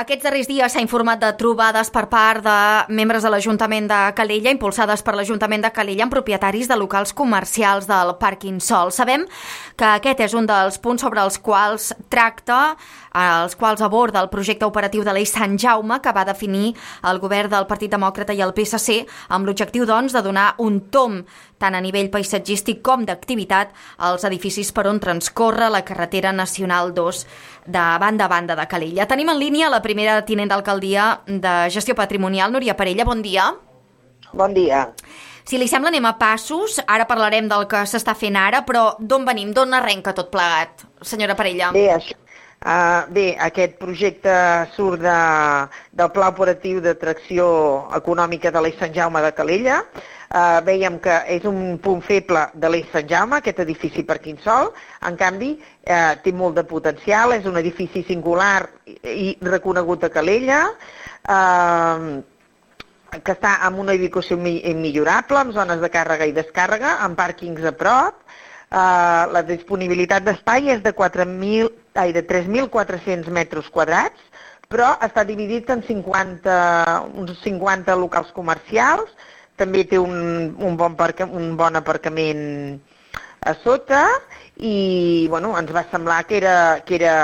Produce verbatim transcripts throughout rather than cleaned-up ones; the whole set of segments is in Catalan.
Aquests darrers dies s'ha informat de trobades per part de membres de l'Ajuntament de Calella, impulsades per l'Ajuntament de Calella, amb propietaris de locals comercials del pàrquing Sol. Sabem que aquest és un dels punts sobre els quals tracta, els quals aborda el projecte operatiu de l'Eix Sant Jaume, que va definir el govern del Partit Demòcrata i el P S C, amb l'objectiu, doncs, de donar un tomb tant a nivell paisatgístic com d'activitat als edificis per on transcorre la carretera nacional dos de banda a banda de Calella. Tenim en línia la primera tinent d'alcaldia de Gestió Patrimonial, Núria Parella. Bon dia. Bon dia. Si li sembla, anem a passos. Ara parlarem del que s'està fent ara, però d'on venim? D'on arrenca tot plegat, senyora Parella? Bé, això, uh, bé aquest projecte surt de, del Pla Operatiu d'Atracció Econòmica de l'Eix Sant Jaume de Calella. Uh, veiem que és un punt feble de l'Eix Sant Jaume, aquest edifici Pàrquing Sol. En canvi, uh, té molt de potencial, és un edifici singular i reconegut a Calella, uh, que està en una ubicació millorable, amb zones de càrrega i descàrrega, amb pàrquings a prop. Uh, la disponibilitat d'espai és de, quatre mil, ai, de tres mil quatre-cents metres quadrats, però està dividit en cinquanta, uns cinquanta locals comercials. També té un, un, bon parca, un bon aparcament a sota i bueno, ens va semblar que era, que era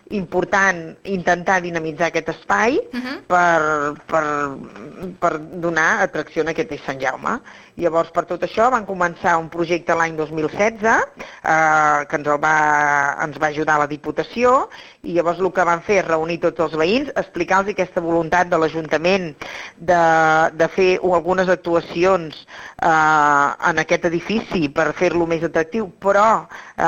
important intentar dinamitzar aquest espai uh-huh. per, per, per donar atracció a aquest Eix Sant Jaume. Llavors, per tot això, van començar un projecte l'any dos mil setze, eh, que ens, el va, ens va ajudar la Diputació, i llavors el que van fer és reunir tots els veïns, explicar-los aquesta voluntat de l'Ajuntament de, de fer algunes actuacions eh, en aquest edifici per fer-lo més atractiu, però eh,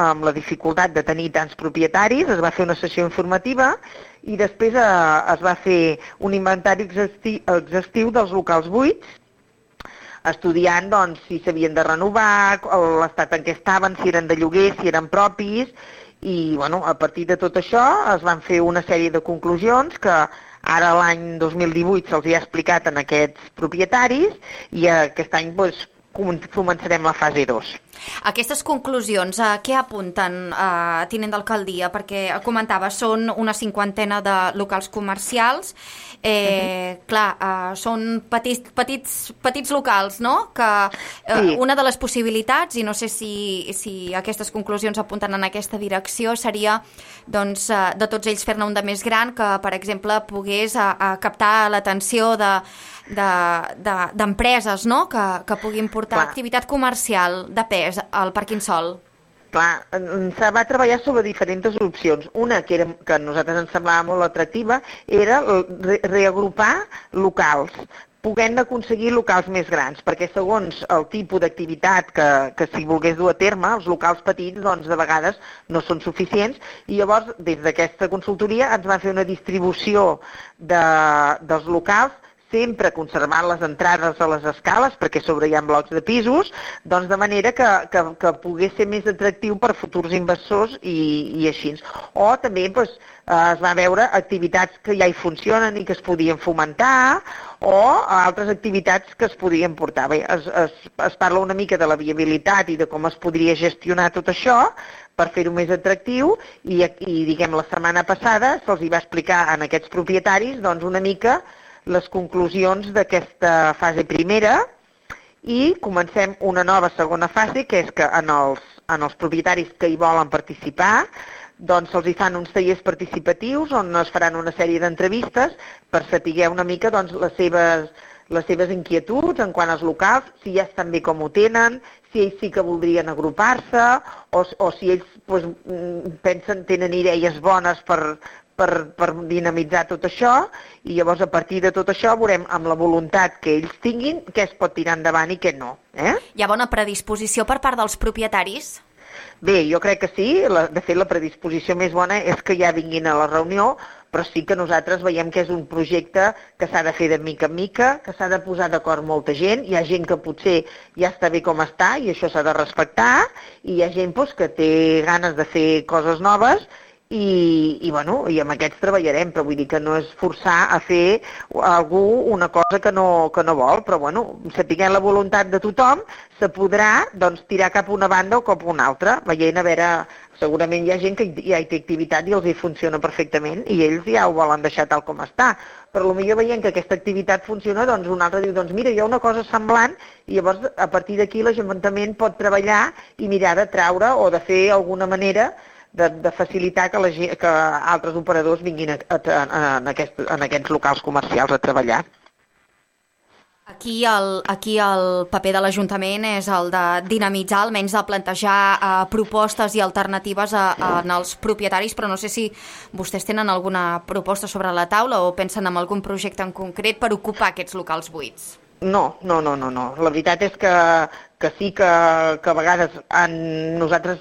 amb la dificultat de tenir tants propietaris. Es va fer una sessió informativa i després eh, es va fer un inventari exhaustiu, exhaustiu dels locals buits, estudiant doncs, si s'havien de renovar, l'estat en què estaven, si eren de lloguer, si eren propis, i bueno, a partir de tot això es van fer una sèrie de conclusions que ara l'any dos mil divuit se'ls ha explicat en aquests propietaris i aquest any doncs, començarem la fase dos. Aquestes conclusions, a què apunten, eh, tinent d'alcaldia? Perquè comentava, són una cinquantena de locals comercials. Eh, uh-huh. Clar, eh, són petits, petits, petits locals, no? Que eh, sí. Una de les possibilitats, i no sé si, si aquestes conclusions apunten en aquesta direcció, seria doncs, eh, de tots ells fer-ne un de més gran que, per exemple, pogués a, a captar l'atenció de d'empreses, de, no? que, que puguin portar Clar. activitat comercial de pes al Pàrquing Sol. Clar, se va treballar sobre diferents opcions. Una que, era, que a nosaltres ens semblava molt atractiva era re reagrupar locals, podent aconseguir locals més grans, perquè segons el tipus d'activitat que, que si volgués dur a terme, els locals petits doncs, de vegades no són suficients, i llavors des d'aquesta consultoria ens va fer una distribució de, dels locals, sempre conservant les entrades a les escales, perquè sobre hi ha blocs de pisos, doncs de manera que, que, que pogués ser més atractiu per futurs inversors i, i així. O també doncs, es va veure activitats que ja hi funcionen i que es podien fomentar, o altres activitats que es podien portar. Bé, es, es, es parla una mica de la viabilitat i de com es podria gestionar tot això per fer-ho més atractiu, i, i diguem, la setmana passada se'ls va explicar a aquests propietaris doncs, una mica les conclusions d'aquesta fase primera, i comencem una nova segona fase, que és que en els, en els propietaris que hi volen participar doncs se'ls hi fan uns tallers participatius on es faran una sèrie d'entrevistes per saber una mica doncs, les seves, les seves inquietuds en quant als locals, si ja estan bé com ho tenen, si ells sí que voldrien agrupar-se, o, o si ells doncs, pensen, tenen idees bones per, per, per dinamitzar tot això, i llavors a partir de tot això veurem amb la voluntat que ells tinguin què es pot tirar endavant i què no. Eh? Hi ha bona predisposició per part dels propietaris? Bé, jo crec que sí. La, de fet, la predisposició més bona és que ja vinguin a la reunió, però sí que nosaltres veiem que és un projecte que s'ha de fer de mica en mica, que s'ha de posar d'acord molta gent. Hi ha gent que potser ja està bé com està i això s'ha de respectar, i hi ha gent doncs, que té ganes de fer coses noves i, i, bueno, i amb aquests treballarem, però vull dir que no és forçar a fer a algú una cosa que no, que no vol, però bueno, sapiguent la voluntat de tothom, se podrà doncs, tirar cap a una banda o cap a una altra, veient a veure, segurament hi ha gent que ja hi té activitat i els hi funciona perfectament i ells ja ho volen deixar tal com està, però potser veient que aquesta activitat funciona, doncs un altre diu, doncs mira, hi ha una cosa semblant i llavors a partir d'aquí l'Ajuntament pot treballar i mirar de traure o de fer alguna manera De, de facilitar que, la, que altres operadors vinguin a, a, a, en, aquest, en aquests locals comercials a treballar. Aquí el, aquí el paper de l'Ajuntament és el de dinamitzar, almenys de plantejar eh, propostes i alternatives a, a, en els propietaris, però no sé si vostès tenen alguna proposta sobre la taula o pensen en algun projecte en concret per ocupar aquests locals buits. No, no, no, no, no. La veritat és que, que sí que, que a vegades en nosaltres,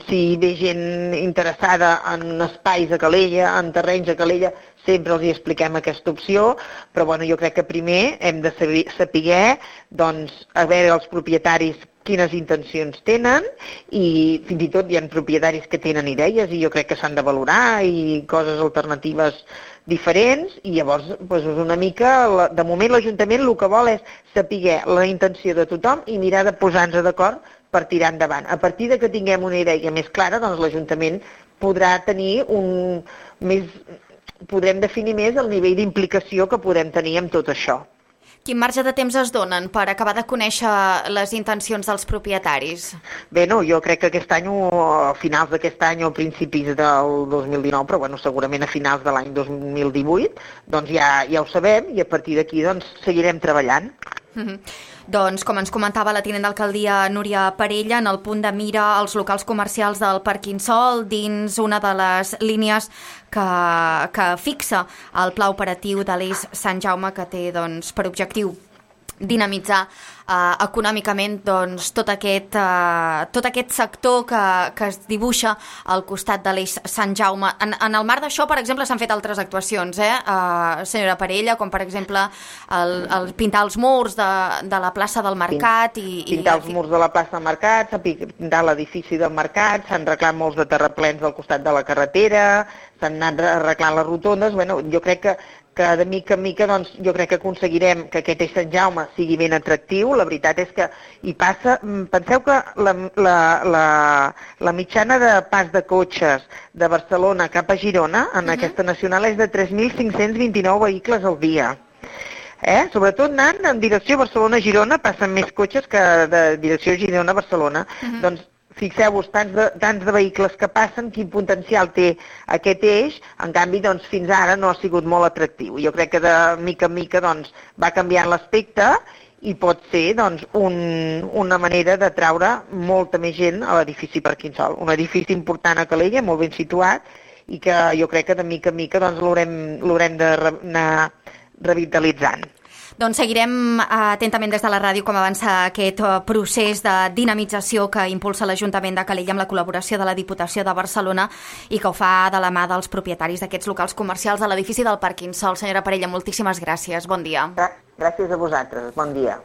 si ve gent interessada en espais a Calella, en terrenys a Calella, sempre els hi expliquem aquesta opció, però bueno, jo crec que primer hem de saber, saber doncs, a veure els propietaris quines intencions tenen i fins i tot hi ha propietaris que tenen idees i jo crec que s'han de valorar i coses alternatives diferents i llavors doncs, una mica, de moment l'Ajuntament el que vol és saber la intenció de tothom i mirar de posar-nos d'acord per tirar endavant. A partir de que tinguem una idea més clara, doncs l'Ajuntament podrà tenir un més, podrem definir més el nivell d'implicació que podem tenir amb tot això. Quin marge de temps es donen per acabar de conèixer les intencions dels propietaris? Bé, no, jo crec que aquest any, a finals d'aquest any o principis del dos mil dinou, però bueno, segurament a finals de l'any dos mil divuit, doncs ja, ja ho sabem i a partir d'aquí doncs, seguirem treballant. Mm-hmm. Doncs, com ens comentava la tinent d'alcaldia Núria Parella, en el punt de mira els locals comercials del Parquínsol dins una de les línies que, que fixa el pla operatiu de l'Eix Sant Jaume, que té doncs, per objectiu dinamitzar eh, econòmicament doncs, tot, aquest, eh, tot aquest sector que, que es dibuixa al costat de l'Eix Sant Jaume. En, en el marc d'això, per exemple, s'han fet altres actuacions, eh, eh, senyora Parella, com per exemple el, el pintar els murs de, de la plaça del Mercat. I, pintar i... els murs de la plaça del Mercat, pintar l'edifici del Mercat, s'han arreglat molts de terraplens al costat de la carretera, s'han anat arreglant les rotondes. Bueno, jo crec que que de mica en mica doncs, jo crec que aconseguirem que aquest Eix Sant Jaume sigui ben atractiu. La veritat és que hi passa... Penseu que la, la, la, la mitjana de pas de cotxes de Barcelona cap a Girona en uh-huh. aquesta nacional és de tres mil cinc-cents vint-i-nou vehicles al dia. Eh? Sobretot anant en direcció Barcelona-Girona passen més cotxes que de direcció Girona-Barcelona. Uh-huh. Doncs fixeu-vos, tants de, tants de vehicles que passen, quin potencial té aquest eix, en canvi doncs, fins ara no ha sigut molt atractiu. Jo crec que de mica en mica doncs, va canviant l'aspecte i pot ser doncs, un, una manera de traure molta més gent a l'edifici Parquínsol. Un edifici important a Calella, molt ben situat, i que jo crec que de mica en mica doncs, l'haurem d'anar revitalitzant. Doncs seguirem atentament des de la ràdio com avança aquest procés de dinamització que impulsa l'Ajuntament de Calella amb la col·laboració de la Diputació de Barcelona i que ho fa de la mà dels propietaris d'aquests locals comercials de l'edifici del Parquínsol. Senyora Parella, moltíssimes gràcies. Bon dia. Gràcies a vosaltres. Bon dia.